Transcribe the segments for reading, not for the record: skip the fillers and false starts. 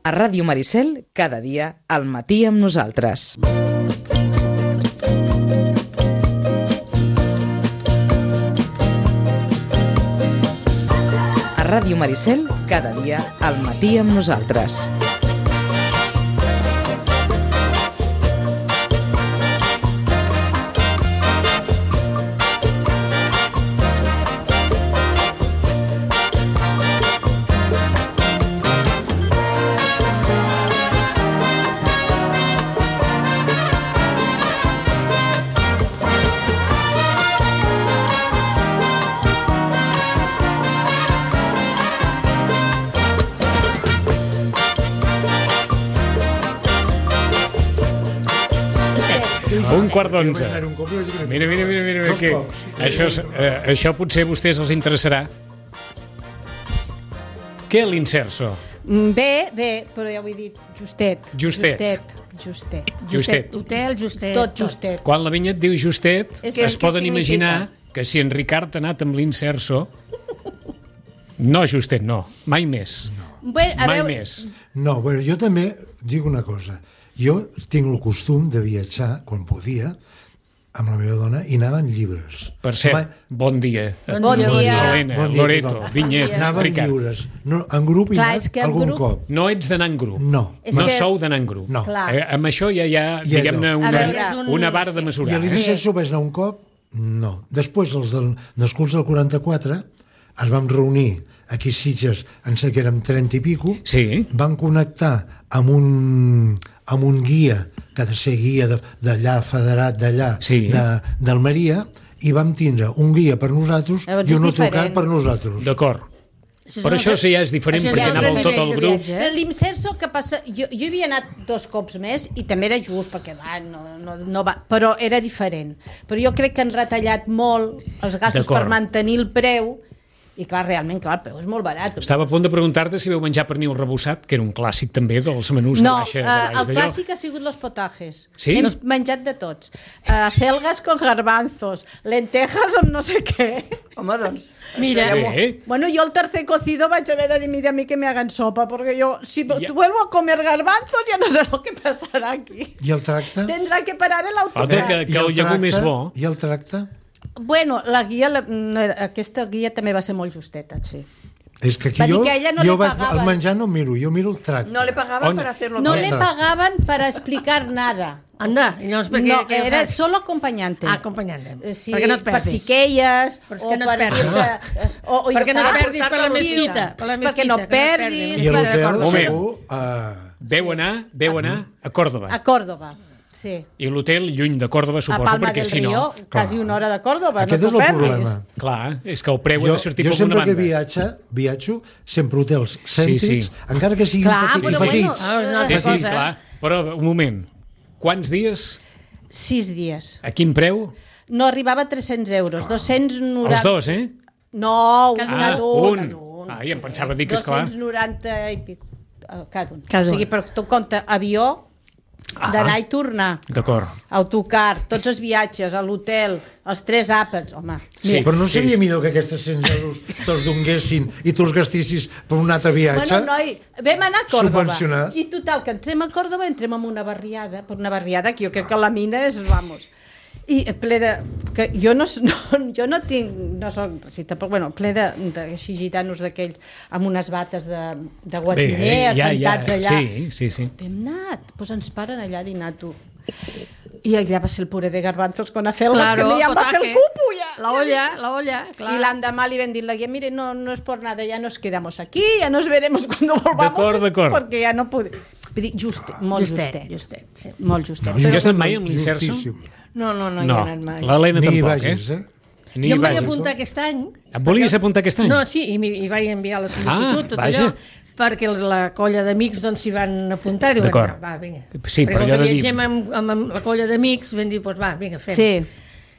A Ràdio Maricel, cada dia, al matí amb nosaltres. A Ràdio Maricel, cada dia, al matí amb nosaltres. Un quart d'11. Mira, que això potser a vostès els interessarà. Què l'inserso? Bé, però ja ho he dit, justet. Hotel, justet. Tot justet. Quan la Vinyet diu justet, es poden significa? imaginar que si en Ricard ha anat amb l'inserso... No, justet, no. Mai més. Bé, Mai més. No, bueno, jo també dic una cosa. Jo tinc el costum de viatjar, quan podia, amb la meva dona, i anava en llibres. Per cert, bon dia. Bon dia. Helena, Loreto, Vinyet, Anava en Ricard. llibres. No, en grup he Clar, és anat que en algun grup- cop. No ets d'anar en grup. No. No que- sou d'anar en grup. No. Clar. Amb això ja hi ha, diguem-ne, A veure, una vara de I mesurar. a l'Inserso vaig anar un cop? No. Després, els dels curs del 44, es vam reunir aquí a Sitges, em sé que érem 30 i pico, Sí. van connectar amb un guia, que ha de ser guia d'allà, federat d'allà, Sí. d'Almeria, i vam tindre un guia per nosaltres Llavors i és un autocar diferent. per nosaltres. D'acord. Però això sí ja és diferent, Això perquè ja és anàveu tot diferent el de grup. viatge. Però l'Imserso, què passa? Jo hi havia anat 2 cops més i també era just, perquè no va, però era diferent. Però jo crec que han retallat molt els gastos D'acord. per mantenir el preu i clar, realment, clar, el preu és molt barat. Estava a punt de preguntar-te si veu menjar pernil rebossat, que era un clàssic també dels menús No, de baixa. De baix el d'allò. clàssic ha sigut los potajes. Sí? Hem menjat de tots. Celgas con garbanzos, lentejas amb no sé què. Home, doncs... Mira, Bé. Bueno, yo el tercer cocido vaig haver de dir, mira, a mí que me hagan sopa, porque yo, si vuelvo a comer garbanzos, ya no sé lo que pasará aquí. I el tracte? Tendrá que parar el autocar. Home, que el llegum és bo. I el tracte? Bueno, la guia, aquesta guia també va ser molt justeta, sí. És que aquí Va dir jo, que a ella no jo li vaig, pagaven. el menjar no miro, jo miro el tracte. No le pagaban On- para hacerlo. No todo. le pagaban para explicar nada. anda, i llavors per què? No, què era fas? solo acompañante. Acompanyant-te. Sí, perquè no et per perdis. si queies Però és que no et perdis. perquè no et perdis per la mesquita, per la perquè no mesquita, que no et perdis. perdis. I a l'hotel, Moment. segur... Veu anar a Còrdova. A Còrdova, sí. I l'hotel lluny de Còrdova, A suposo, Palma perquè del si Río, no... quasi una hora de Còrdova, Aquest no és t'ho el perdis. problema. Clar, és que el preu ha Jo, de sortir jo per alguna sempre que banda. viatjo, sempre hotels cèntrics, Sí. encara que siguin Clar, petits, però petits. Ah, una Sí, altra sí, cosa. clar. Però, un moment, quants dies? 6 dies. A quin preu? No arribava a 300 euros, 290... Els dos, eh? No, Cada cada un. un. Ai, em pensava dir que, esclar... 290 i pico, cada un. Cada O sigui, un. per tu compte, avió, d'anar i tornar, D'acord. autocar, tots els viatges, a l'hotel, els 3 àpats, home. Sí. Però no seria millor que aquestes 100 euros te'ls donguessin i tu els gastissis per un altre viatge? Bueno, noi, vam anar a Còrdova. Subvencionat. I total, que entrem a Còrdova, entrem en una barriada, per una barriada que jo crec que la mina és, vamos, i ple de... Que jo no tinc, no soc racista, però bueno, ple de així gitanos d'aquells amb unes bates de guatiner, assentats allà. Sí. Hem anat, doncs ens paren allà a dinar, tu. I allà va ser el puré de garbanzos con acelgas, Claro, que ja em va fer el potaje. cupo, ja. La olla, clar. Y l'endemà li vam dir la guia, mire, no es por nada, ya nos quedamos aquí, ya nos veremos cuando volvamos. D'acord. Perquè ja no podem. Vull dir, molt justet. sí. Molt justet. Ja has anat mai amb l'Inserso? Justíssim. No, hi he No, anat mai. l'Helena Ni hi tampoc, vagis, eh? eh? Ni Jo hi em vaig vagis. apuntar aquest any. Et volies apuntar aquest any? No, sí, i vaig enviar la sol·licitud, tot vaja. allò, perquè la colla d'amics doncs, s'hi van apuntar. Diuen, D'acord. va, vinga. Sí, però perquè allò com de que dir- viatgem amb la colla d'amics, vam dir, doncs va, vinga, fem. Sí.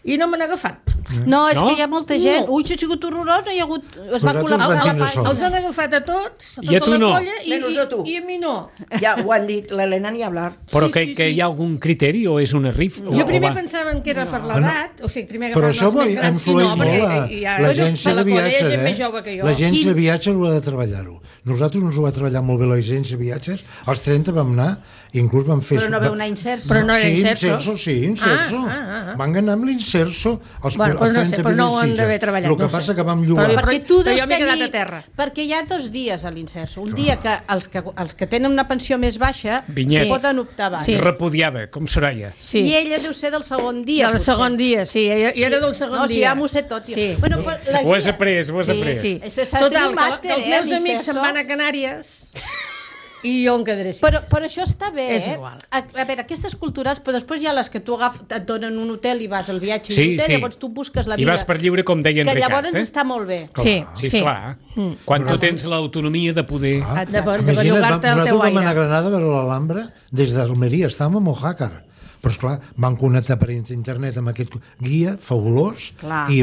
i no me n'ha agafat. No, és No? que hi ha molta gent. Ui, això ha sigut horrorós, hi ha hagut... Es va Vosaltres col·lapsar van la tindre pàgina. sort. Els han agafat a tots, a I a tota tu la no. colla, Menys a tu. i a mi no. Ja ho han dit, l'Helena ni hablar. Però Sí, que, sí, que sí. hi ha algun criteri o és una rif? Jo primer pensaven que era per l'edat, o sigui, primer Però agafaven això els més ha grans i influït no, molt perquè l'agència de viatges, és més jove que jo. L'agència de viatges ho ha de treballar-ho. Nosaltres ens ho va treballar molt bé l'agència de viatges. Als 30 vam anar, inclús vam fer... Però no veu anar inserso. Però no era sí, Inserso. Sí, Inserso. Van anar amb l'Inserso. Bueno, doncs no sé, però no ho han d'haver treballat, El que no ho sé. passa que vam llogar... Però- Perquè tu però deus jo m'he quedat tenir... a terra. Perquè hi ha 2 dies a l'Inserso. Un dia que els que tenen una pensió més baixa Vinyet. poden optar abans. Sí. Repudiada, com Soraya. Sí. I ella deu ser del segon dia, Del potser. segon dia, sí, jo era del segon No, dia. si ja m'ho sé tot. Jo. Sí. Bueno, però la Ho has guia- après, ho has après. Sí. S'ha de Total, tenir un que màster, els meus amics Inserso. se'n van a Canàries i jo em quedaré així. Però això està bé, És igual. A veure, aquestes culturals, però després hi ha les que tu et donen un hotel i vas al viatge Sí, i l'hotel, sí. llavors tu busques la I vida. vas per lliure, com deia en que Ricard. llavors està molt bé. Sí, Sí, sí. esclar. Quan tu tens l'autonomia de poder... Ah, De Exacte. bellugar-te el teu nosaltres vam anar a aire. Granada a veure l'Alhambra des d'Almeria, estàvem a Mojácar. Però, esclar, van connectar per internet amb aquest guia fabulós Clar, i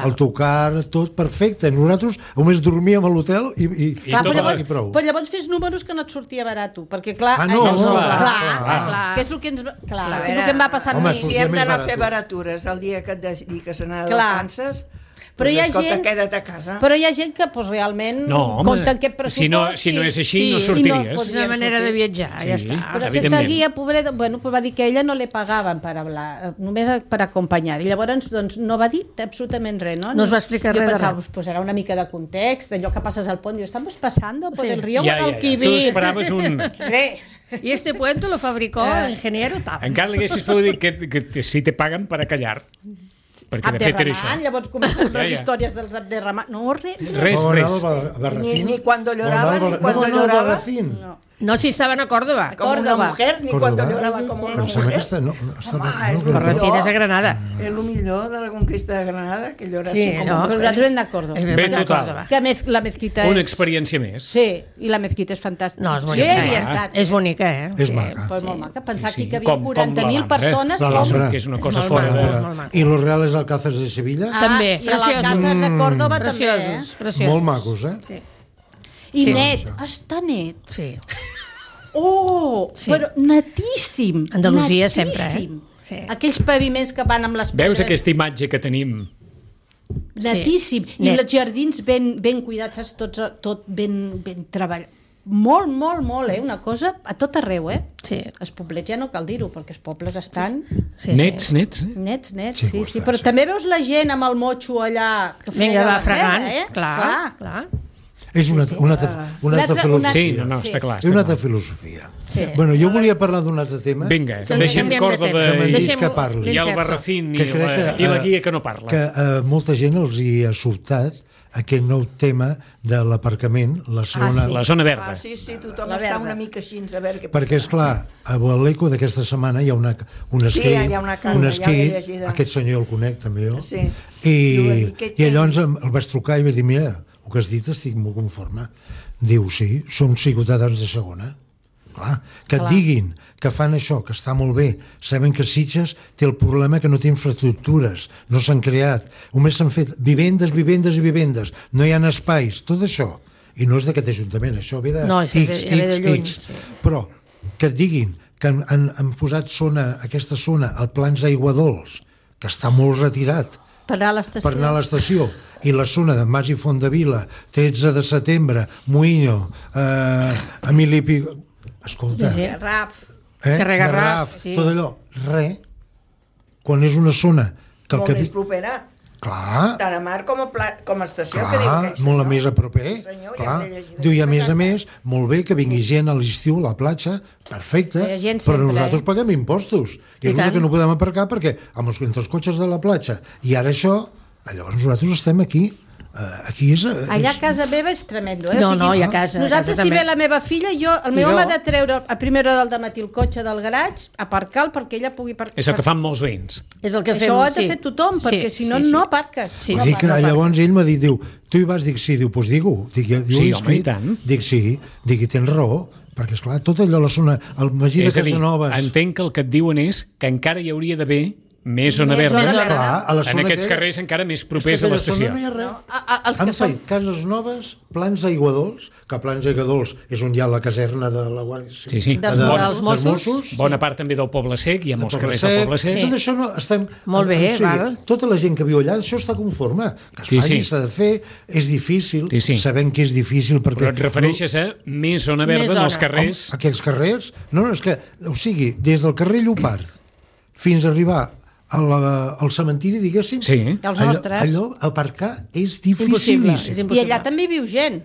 el tocar, tot perfecte. Nosaltres només dormíem a l'hotel i Clar, tot però, prou. llavors fes números que no et sortia barat, tu, perquè clar... Ah, no, llavors, no, clar, que és el que ens... Clar, que és el que em va passar Home, a mi. sortia Si hem més d'anar a barat. fer baratures el dia que et dediques a anar de Clar. vacances, Però doncs, hi ha escolta, gent- queda't a casa. Però hi ha gent que pues, realment No, home, compta aquest pressupost... si no és així, i no no sortiries. podríem És una manera sortir. de viatjar, ja Sí. està. Però Evidentment. aquesta guia, pobreta, bueno, pues va dir que a ella no le pagaven per hablar, només per acompanyar. I llavors doncs, no va dir absolutament res, no? No es va explicar res de Jo pensava, res. pues, posarà una mica de context, allò que passes al pont, diu, estamos pasando por Sí. el río Ja. Tu Guadalquivir. esperaves un... Y este puente lo fabricó el ingeniero tal. Encara li haguessis pogut dir que si te paguen per a callar. Perquè de fet era això. Abderramán, llavors comencen les Ja. històries dels Abderramán. No, res. Res, Vam anar res. al Barracín. Ni cuando lloraba, Vam anar ni al cuando no, no, al lloraba. Barracín. No, si estaven a Córdoba. Como una Córdoba. mujer, ni Córdoba. cuando lloraba como una Em sembla mujer. que està... No, Home, és no, el Barracín millor. és a Granada. És el millor de la conquista de Granada, que llora Sí, así como no, una Però mujer. nosaltres hem d'acord. És ben Bé, de total. Córdoba. Que la mezquita Una és... experiència més. Sí, i la mezquita és fantàstica. No, és Sí, bonica. hi havia estat. És bonica, És Sí. maca. Pues molt maca. Pensar Sí, sí. aquí que havia Com 40.000 l'Alhambra, persones. L'Alhambra. Que és una cosa Molt fora maco, de... molt maco. I los Reales Alcázares de Sevilla, També, i l'Alcázar preciosos. de Córdoba també, Preciosos, preciosos. molt macos, eh? Sí. I Sí. net, està net. Sí. Oh, Sí. però netíssim. Andalusia sempre, netíssim. Sí. Aquells paviments que van amb les pedres. Veus aquesta imatge que tenim? Netíssim. Sí. I Net. els jardins ben cuidats, saps? Tot ben treballat. Molt, molt, molt, Una cosa a tot arreu, Sí. Els poblets ja no cal dir-ho, perquè els pobles estan Sí, Nets, sí. nets. nets, Sí, sí, està, però sí. també veus la gent amb el motxo allà que Vinga, frega va la fregant. ceba, Clar. És una altra filosofia. Sí, no, Sí. està clar. És Està una clar. altra filosofia. Sí. Bueno, jo volia parlar d'un altre tema Vinga, Sí, deixem canviem de Córdoba tema. que m'han dit Deixem-ho- que parli. i el l'Inserso. Barracín que crec i la guia que no parla. que molta gent els hi ha sobtat aquest nou tema de l'aparcament, la segona... La zona verda. Ah, sí, tothom La està verda. una mica així, a veure què Perquè, és clar, a l'Eco d'aquesta setmana hi ha un esquí, hi ha una carta, un ja esquí, l'he llegida. aquest senyor el conec també jo, Sí. i Diu, llavors el vaig trucar i vaig dir, mira, el que has dit estic molt conforme. Diu, sí, som ciutadans de segona. Clar, que et diguin que fan això, que està molt bé, saben que Sitges té el problema que no té infraestructures, no s'han creat, només s'han fet vivendes, no hi ha espais, tot això. I no és d'aquest ajuntament, això ve de No, això ve de lluny, sí. Però que et diguin que han posat aquesta zona, el Plans Aiguadols, que està molt retirat, Per anar a l'estació. per anar a l'estació, i la zona de Mas i Fontdevila, 13 de setembre, Muïño, Emili Pi... Escolta, Sí. Raf. Carrer-Garraf, sí. tot allò, quan és una zona que el Molt que... més propera, Clar, tant a mar com a estació, que diu clar, que és, molt no? més a proper, Senyor, clar. ja m'he llegit Diu, i a aquesta més, molt bé que vingui gent a l'estiu a la platja, perfecte, Hi ha gent però sempre, nosaltres paguem impostos, i és tant. el que no podem aparcar perquè entre els cotxes de la platja i ara això, llavors nosaltres estem aquí, aquí és... Allà a casa meva és tremendo, No, no, i a casa, Nosaltres, a casa si ve també. la meva filla, el I meu jo. home ha de treure a primera hora del dematí el cotxe del garatge, aparcar-lo perquè ella pugui aparcar. És el que fan molts veïns. És el que fem, Això ho ha de sí. fer tothom, perquè si no, sí. no aparques. Sí, Vull sí. dir que llavors ell m'ha dit, diu, tu hi vas? Dic, sí, diu, doncs digue-ho. Dic, jo Sí, he home, escrit. i tant. Dic, sí, dic, i tens raó, perquè, esclar, tot allò, la zona, el Magí de És a dir, Casanovas... entenc que el que et diuen és que encara hi hauria d'haver més zona Més verda. zona verda. Clar, a la En zona aquests aquella- carrers encara més És que propers a aquella zona l'estació. no hi ha res. Els Han que són... fet cases noves, plans d'aiguadols, que plans d'aiguadols és on hi ha la caserna de la Guàrdia Civil. Sí. Dels Mossos. Bona part també del Poble Sec, hi ha molts carrers del Poble Sec. Tot això no estem... Molt bé, val. Tota la gent que viu allà, això està conforme. Que es faci, s'ha de fer, és difícil, sabem que és difícil perquè... Però et refereixes a més zona verda en els carrers? Aquells carrers... No, és que, o sigui, des del carrer Llopart fins a arribar al cementiri, diguéssim, Els nostres. allò aparcar és dificilíssim. I allà també viu gent.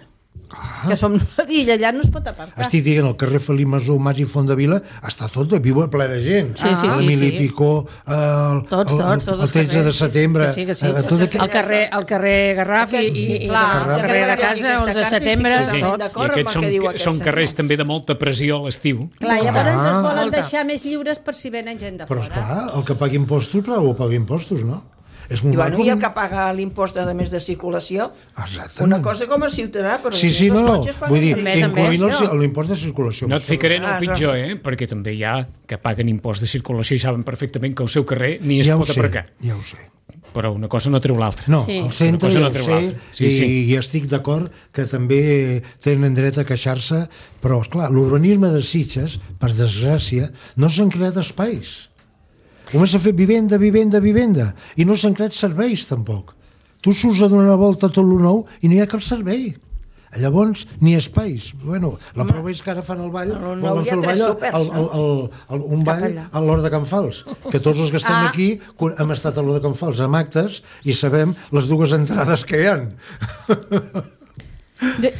Que som... I allà no es pot aparcar. Estic dient, el carrer Felip Masó, Mas i Fondavila està tot, viu ple de gent. L'Emili Picó, el 13 de setembre... El carrer Garraf i el carrer de casa, 11 de setembre... I aquests són carrers també de molta pressió a l'estiu. Clar, llavors ens volen deixar més lliures per si venen gent de fora. Però esclar, el que pagui impostos, però paga impostos, no? És I el que paga l'impost de més de circulació, una cosa com a ciutadà, però sí, els no, cotxes vull dir, paguen incloent l'impost de circulació. No et ficaré en el pitjor, perquè també hi ha que paguen impost de circulació i saben perfectament que al seu carrer ni es pot aparcar. Ja ho sé. Però una cosa no treu l'altra. No, el centre ja ho sé, i estic d'acord que també tenen dret a queixar-se, però, esclar, l'urbanisme de Sitges, per desgràcia, no s'han creat espais. Només s'ha fet vivenda, i no s'han creat serveis, tampoc. Tu surts a donar una volta a tot lo nou i no hi ha cap servei. Llavors, ni espais. Bueno, la prova és que ara fan el ball, volen fer el ball, un ball a l'Hort de Can Fals, que tots els que estem aquí hem estat a l'Hort de Can Fals amb actes i sabem les dues entrades que hi ha.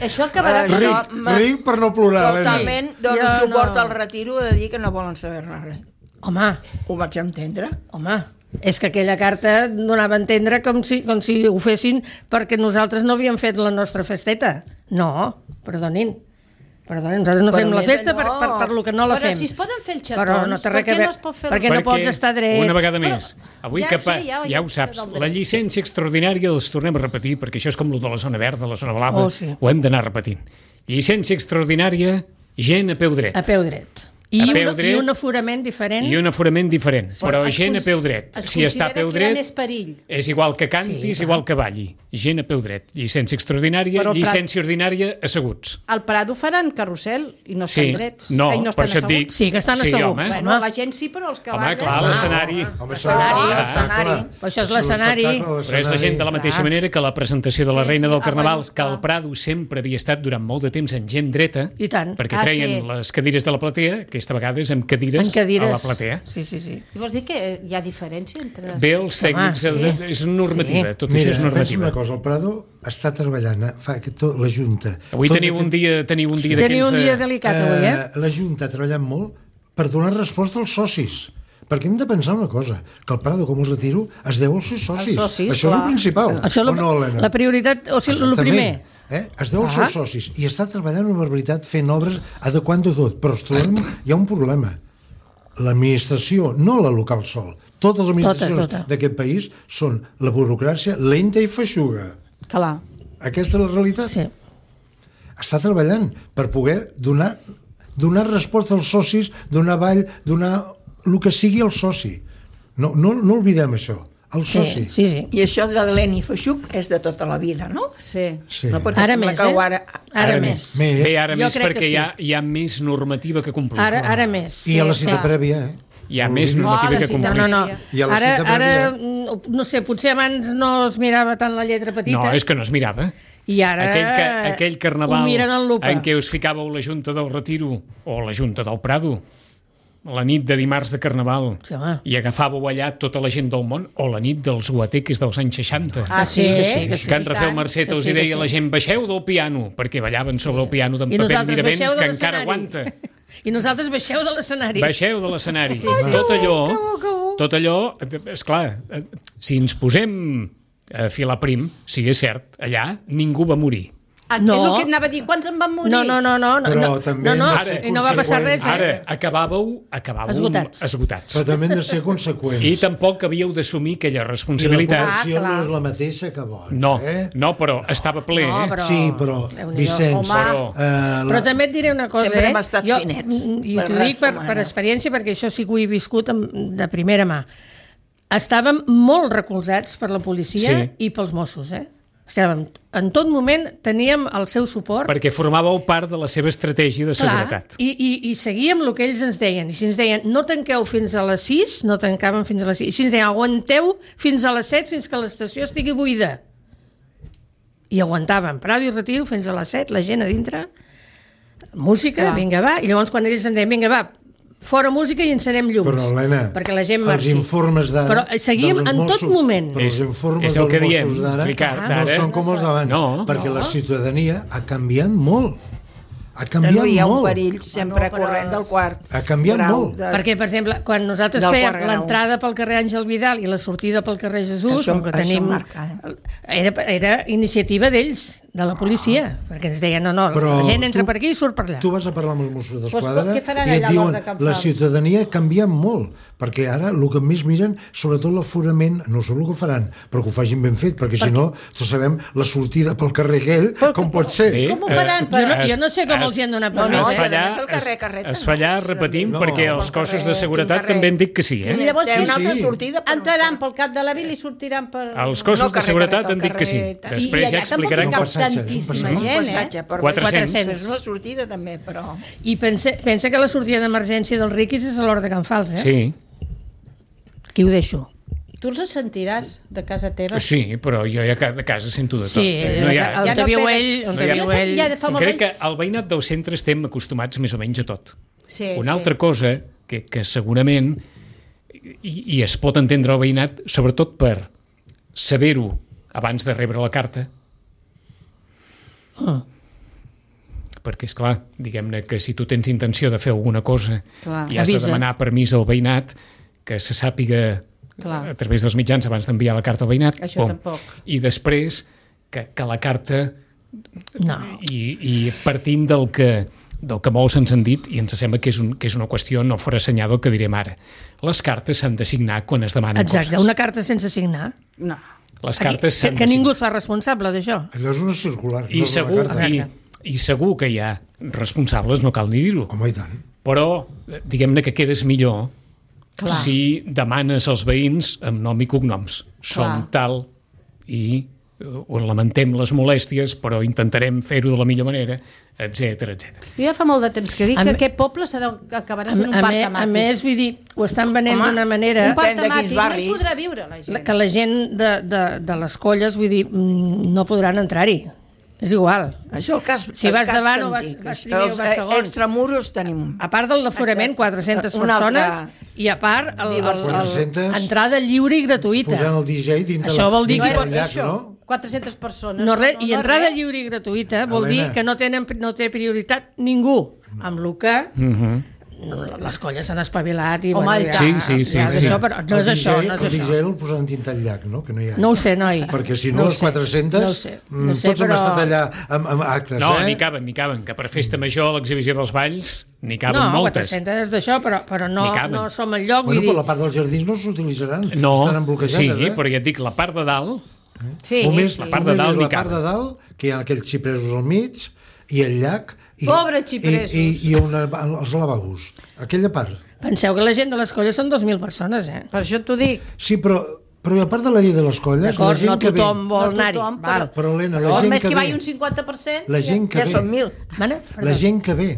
Això acabarà... Ric per no plorar, Helena. Totalment dono suport al retiro de dir que no volen saber-ne res. Home. Ho vaig entendre. Home, és que aquella carta donava a entendre com si ho fessin perquè nosaltres no havíem fet la nostra festeta. No, perdonin, nosaltres no fem la festa per lo que no la fem. Però si es poden fer els xatons, per què no es pot fer... Perquè no pots estar dret. Una vegada més, avui ja ho saps, la llicència extraordinària els tornem a repetir, perquè això és com el de la zona verda, la zona blava, ho hem d'anar repetint. Llicència extraordinària, gent a peu dret. A peu dret. I un aforament diferent. I un aforament diferent, però gent a peu dret. Si està a peu dret, és igual que canti, és igual que balli. Gent a peu dret. Llicència extraordinària, llicència ordinària, asseguts. Al Prado faran carrusel i no estan drets. No, per això et dic... Sí, que estan asseguts. Bueno, la gent sí, però els que ballen... Home, clar, l'escenari. Això és l'escenari. Però és la gent de la mateixa manera que la presentació de la Reina del Carnaval, que el Prado sempre havia estat durant molt de temps en gent dreta, perquè treien les cadires de la platea, aquesta vegades amb cadires a la platea. Sí. I vols dir que hi ha diferència entre... Bé, els tècnics, és normativa, tot això és normativa. Mira, una cosa, el Prado està treballant, fa la Junta... Avui teniu un dia d'aquells de... Teniu un dia delicat, avui, La Junta ha treballat molt per donar resposta als socis. Perquè hem de pensar una cosa, que el Prado, com el retiro, es deu als seus socis. Això és el principal. O no, Helena? La prioritat, o sigui, el primer... Es deu als seus socis i està treballant una barbaritat fent obres adequant-ho tot, però hi ha un problema. L'administració, no la local sol, totes les administracions d'aquest país són la burocràcia lenta i feixuga. Clar. Aquesta és la realitat. Sí. Està treballant per poder donar resposta als socis, donar ball, donar el que sigui al soci. No oblidem això. El soci. Sí. I això de Leni Feixuc és de tota la vida, no? Sí. No, ara més, Ara més. Bé, ara més perquè hi ha més normativa que complir. Ara més. I a la cita prèvia, Hi ha més normativa que complir. No. I a la cita prèvia... Ara, no sé, potser abans no es mirava tant la lletra petita. No, és que no es mirava. I ara aquell carnaval en què us ficàveu la Junta del Retiro o la Junta del Prado, la nit de dimarts de Carnaval, i agafàveu allà tota la gent del món, o la nit dels guateques dels anys 60. Que en Rafael Marcet els deia a la gent, baixeu del piano, perquè ballaven sobre el piano d'en Pepet Miravent, que encara aguanta. I nosaltres baixeu de l'escenari. Baixeu de l'escenari. Tot allò, esclar, si ens posem a filar prim, sí, és cert, allà ningú va morir. No. És el que anava a dir, quants en van morir? No. Però també I no va passar res. Ara acabàveu esgotats. Però també hem de ser conseqüents. I tampoc havíeu d'assumir aquella responsabilitat. I la població no és la mateixa que abans. No, però estava ple. Sí, però, Vicenç... Però també et diré una cosa, Sempre hem estat finets. I t'ho dic per experiència, perquè això sí que ho he viscut de primera mà. estàvem molt recolzats per la policia i pels Mossos, Estàvem, en tot moment teníem el seu suport. Perquè formàveu part de la seva estratègia de seguretat. I seguíem el que ells ens deien. I si ens deien, no tanqueu fins a les 6, no tancàvem fins a les 6. I si ens deien, aguanteu fins a les 7, fins que l'estació estigui buida. I aguantàvem. Parada i retiro fins a les 7, la gent a dintre, música, vinga, va. I llavors quan ells ens deien, vinga, va, fora música i encenem llums. Però, Helena, perquè la gent marxi. Els informes d'ara... Però seguim en tot moment. Però els informes dels Mossos d'ara no són com els d'abans, perquè la ciutadania ha canviat molt. Ha canviat molt. No hi ha un perill sempre corrent del quart. Ha canviat molt. Perquè, per exemple, quan nosaltres fèiem l'entrada pel carrer Àngel Vidal i la sortida pel carrer Jesús, que tenim... Era iniciativa d'ells, de la policia, perquè ens deien, no, la gent entra per aquí i surt per allà. Tu vas a parlar amb els Mossos d'Esquadra i et diuen, la ciutadania ha canviat molt, perquè ara el que més miren, sobretot l'aforament, no sé el que faran, però que ho facin ben fet, perquè si no, tots sabem la sortida pel carrer aquell, com pot ser. Com ho faran? Jo no sé com els hi han donat permís. Es fallar, repetim, perquè els cossos de seguretat també han dit que sí. Llavors, entraran pel cap de la vila i sortiran per... Els cossos de seguretat han dit que sí. Després ja explicaran que... Tantíssima gent, 400. És una sortida també, però... I pensa que la sortida d'emergència dels riquis és a l'hora de Can Fals, Sí. Aquí ho deixo. Tu els sentiràs de casa teva? Sí, però jo ja de casa sento de tot. Sí, on te viu ell... Crec que al veïnat del centre estem acostumats més o menys a tot. Una altra cosa que segurament i es pot entendre el veïnat, sobretot per saber-ho abans de rebre la carta, perquè, esclar, diguem-ne que si tu tens intenció de fer alguna cosa i has de demanar permís al veïnat, que se sàpiga a través dels mitjans abans d'enviar la carta al veïnat, i després que la carta i partint del que molts ens han dit, i ens sembla que és una qüestió no forassenyada que direm ara, les cartes s'han de signar quan es demanen coses. Exacte, una carta sense signar. No. Les cartes s'han de signar. Que ningú es fa responsable d'això. Allò és una circular. I segur que hi ha responsables, no cal ni dir-ho. Home, i tant. Però, diguem-ne que quedes millor si demanes als veïns amb nom i cognoms. Som tal i lamentem les molèsties, però intentarem fer-ho de la millor manera, etc. Jo ja fa molt de temps que dic que aquest poble acabarà sent un parc temàtic. A més, vull dir, ho estan venent d'una manera... Un parc temàtic, no hi podrà viure la gent. Que la gent de les colles, vull dir, no podran entrar-hi. És igual. Això el cas si vas davant o vas primer o vas segon. Extramuros tenim. A part del aforament, 400 persones, i a part entrada lliure i gratuïta. Posant el DJ dintre això vol dir que... No? 400 persones. No, res, i entrada lliure i gratuïta vol dir que no té prioritat ningú. Amb el que... les colles s'han espavilat i... Sí. Però no és això. El DJ el posaran dintre el llac, no? Que no hi ha. No ho sé, noi. Perquè si no, les 400, tots hem estat allà amb actes, No, n'hi caben, que per festa major, l'exhibició dels balls, n'hi caben moltes. No, 400 d'això, però no som al lloc. Bueno, però la part dels jardins no s'utilitzaran. No, estaran bloquejades, sí, però ja et dic, la part de dalt... La part de dalt, que hi ha aquells xipresos al mig, i el llac... Pobre xipresos! I els lavabos. Aquella part. Penseu que la gent de les colles són 2.000 persones, Per això t'ho dic. Sí, però a part de la llei de les colles... D'acord, no tothom vol anar-hi. Però, Helena, la gent que ve... Més que vagi un 50%... La gent que ve... Ja són 1.000. La gent que ve...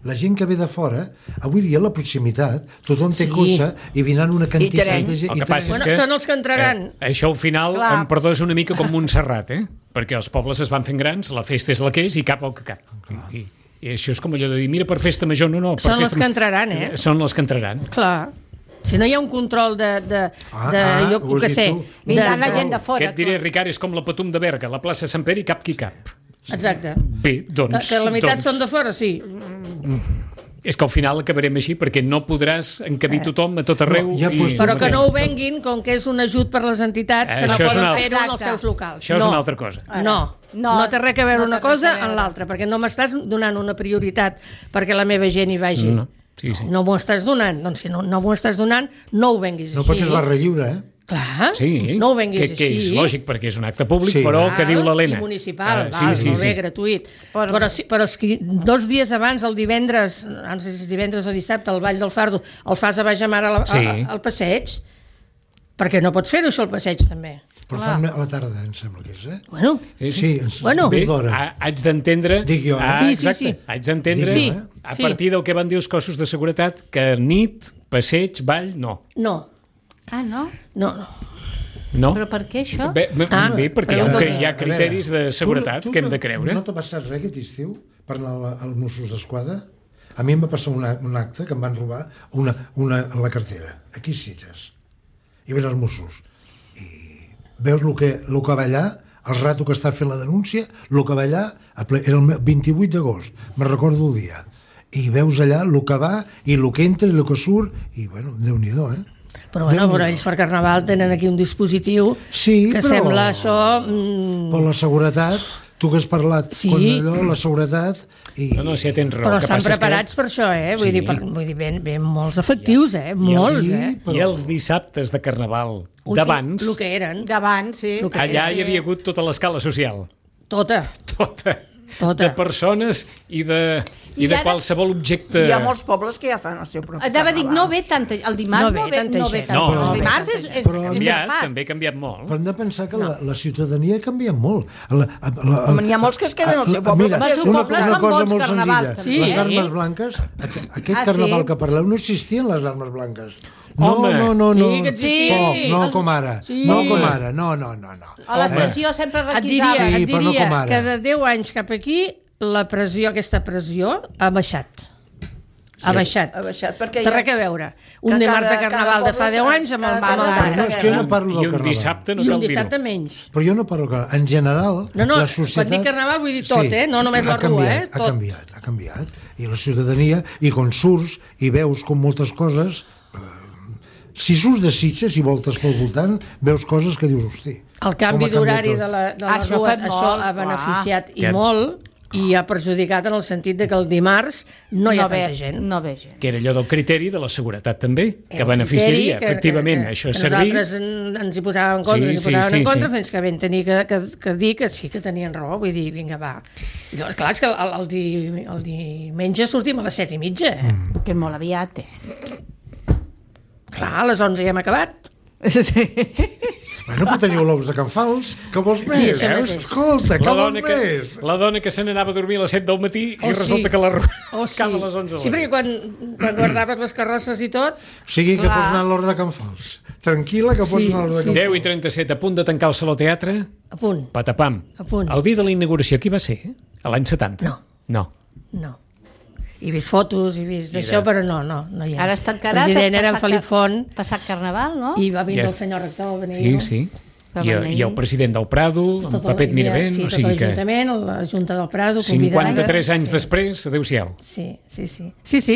La gent que ve de fora, avui dia a la proximitat, tothom té cotxe i vindran una quantitat de gent... El que passa és que són els que entraran. Això al final, em perdó, és una mica com Montserrat, perquè els pobles es van fent grans, la festa és la que és i cap el que cap. I això és com allò de dir, mira, per festa major, no. Són els que entraran, Són els que entraran. Clar. Si no hi ha un control jo què sé... Vindran la gent de fora. Què et diré, Ricard, és com la Patum de Berga, la plaça Sant Pere i cap qui cap. Exacte. Bé, doncs... Que la meitat són de fora, sí. És que al final acabarem així, perquè no podrás encabir tothom a tot arreu. Però que no ho venguin, com que és un ajut per les entitats, que no poden fer-ho en els seus locals. Això és una altra cosa. No té res a veure una cosa en l'altra, perquè no m'estàs donant una prioritat perquè la meva gent hi vagi. No m'ho estàs donant. Doncs si no m'ho estàs donant, no ho venguis així. No, perquè és barra lliure, Clar, sí, no ho venguis així. Que és lògic, perquè és un acte públic, però que diu l'Helena. I municipal, molt bé, gratuït. Però és que 2 dies abans, el divendres, no sé si és divendres o dissabte, al Vall del Fardo, el fas a baix a mar al passeig, Perquè no pots fer-ho això al passeig, també. Però fan a la tarda, em sembla que és, Bueno, sí, bé, haig d'entendre... Dic jo, exacte, haig d'entendre, a partir del que van dir els cossos de seguretat, que nit, passeig, ball, no. No. Ah, no? No. No? Però per què això? Bé, perquè hi ha criteris de seguretat que hem de creure. No t'ha passat res aquest estiu per anar als Mossos d'Esquadra? A mi em va passar un acte que em van robar la cartera, aquí a Sitges. I ven els Mossos. I veus el que va allà, el rato que està fent la denúncia, el que va allà, era el 28 d'agost, me'n recordo el dia. I veus allà el que va, i el que entra, i el que surt, i bueno, Déu-n'hi-do, Però ells per Carnaval tenen aquí un dispositiu que sembla això... Per la seguretat, tu que has parlat allò, la seguretat... No, si ja tens raó. Però estan preparats per això, Vull dir, ven molts efectius, molts, I els dissabtes de Carnaval d'abans... El que eren. D'abans, sí. Allà hi havia hagut tota l'escala social. Tota. De persones i de qualsevol objecte... Hi ha molts pobles que ja fan el seu propi carnaval. Dic, no ve tanta... El dimarts no ve tanta gent. El dimarts és també ha canviat molt. Però hem de pensar que la ciutadania ha canviat molt. N'hi ha molts que es queden al seu poble. Una cosa molt senzilla. Les armes blanques, aquest carnaval que parleu, no existien les armes blanques. No. No com ara. No. A la pressió sempre requisava. Et diria que de 10 anys cap aquí aquesta pressió ha baixat. Ha baixat. Té res a veure. Un dimarts de Carnaval de fa 10 anys amb el no, és que jo no parlo del Carnaval. I un dissabte no cal dir-ho. I un dissabte menys. Però jo no parlo del Carnaval. En general, la societat... Quan dic Carnaval vull dir tot, no només la rua. Ha canviat. I la ciutadania, i quan surts i veus com moltes coses... Si surts de Sitges i voltes pel voltant, veus coses que dius, hosti... El canvi d'horari de les rues, això ha beneficiat i molt, i ha perjudicat en el sentit de que el dimarts no hi ha tanta gent. No ve gent. Que era allò del criteri de la seguretat, també, que beneficiaria, efectivament, això ha servit... Nosaltres ens hi posàvem en contra, fins que vam tenir que dir que sí que tenien raó, vull dir, vinga, va. I llavors, clar, és que el diumenge sortim a les 7:30. Que molt aviat, Clar, a les 11 ja hem acabat. Sí. Bueno, però teniu l'ous de Can Fals, que vols més? Veus? Escolta, que vols més? La dona que se n'anava a dormir a les 7 del matí i resulta que la acaba a les 11 de la nit. Sí, perquè quan guardaves les carrosses i tot... O sigui que pots anar a l'hora de Can Fals. Tranquil·la que pots anar a l'hora de Can Fals. 10:37, a punt de tancar el Saló Teatre. A punt. Patapam. A punt. El dia de la inauguració, qui va ser? A l'any 70? No. He vist fotos, he vist d'això, però no hi ha. Ara està encarat. El president era en Felip Font. Passat Carnaval, no? I va vindre el senyor rector. Sí. I el president del Prado, en Pepet Miravent. Sí, tot l'Ajuntament, la Junta del Prado. 53 anys després, adéu-siau. Sí.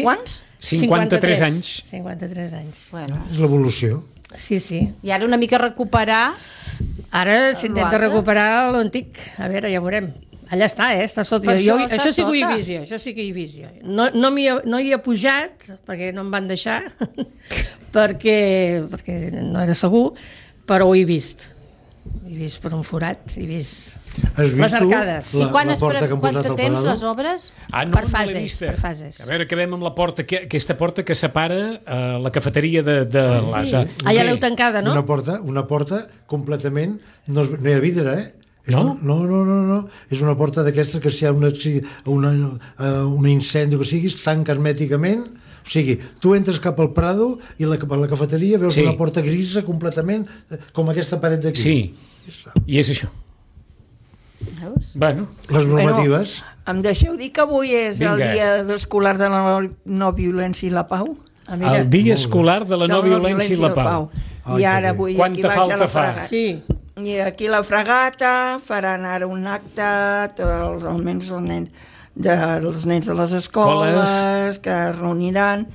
Quants? 53 anys. 53 anys. És l'evolució. Sí. I ara una mica recuperar... Ara s'intenta recuperar l'antic. A veure, ja veurem. Allà està sota. Això sí que ho he vist jo. No hi he pujat, perquè no em van deixar, perquè no era segur, però ho he vist. He vist per un forat, he vist les arcades. I quant temps les obres? Per fases. A veure, acabem amb la porta, aquesta porta que separa la cafeteria de la... Allà l'heu tancada, no? Una porta completament... No hi ha vidre, No? No. És una porta d'aquestes que si hi ha un incendi o que siguis, tanca hermèticament. O sigui, tu entres cap al Prado i a la cafeteria veus una porta grisa completament, com aquesta paret d'aquí. Sí, i és això. Veus? Bueno. Les normatives. Em deixeu dir que avui és el dia escolar de la no violència i la pau? El dia escolar de la no violència i la pau. I ara avui aquí baixa la fragata. Sí. I aquí la fragata faran ara un acte, almenys els nens de les escoles que es reuniran,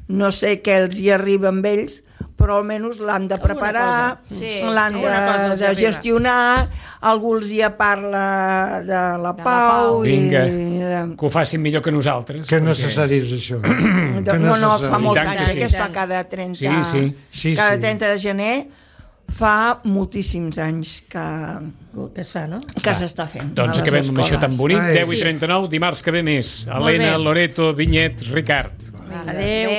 no sé què els hi arriba amb ells, però almenys l'han de preparar, l'han de gestionar, algú els hi parla de la pau. Vinga, que ho facin millor que nosaltres. Que necessari és això. No, fa molt anys, que es fa cada 30 de gener, fa moltíssims anys que es fa, no? Que s'està fent. Doncs acabem amb això tan bonic. 10:39, dimarts que ve més. Helena, Loreto, Vinyet, Ricard. Adéu.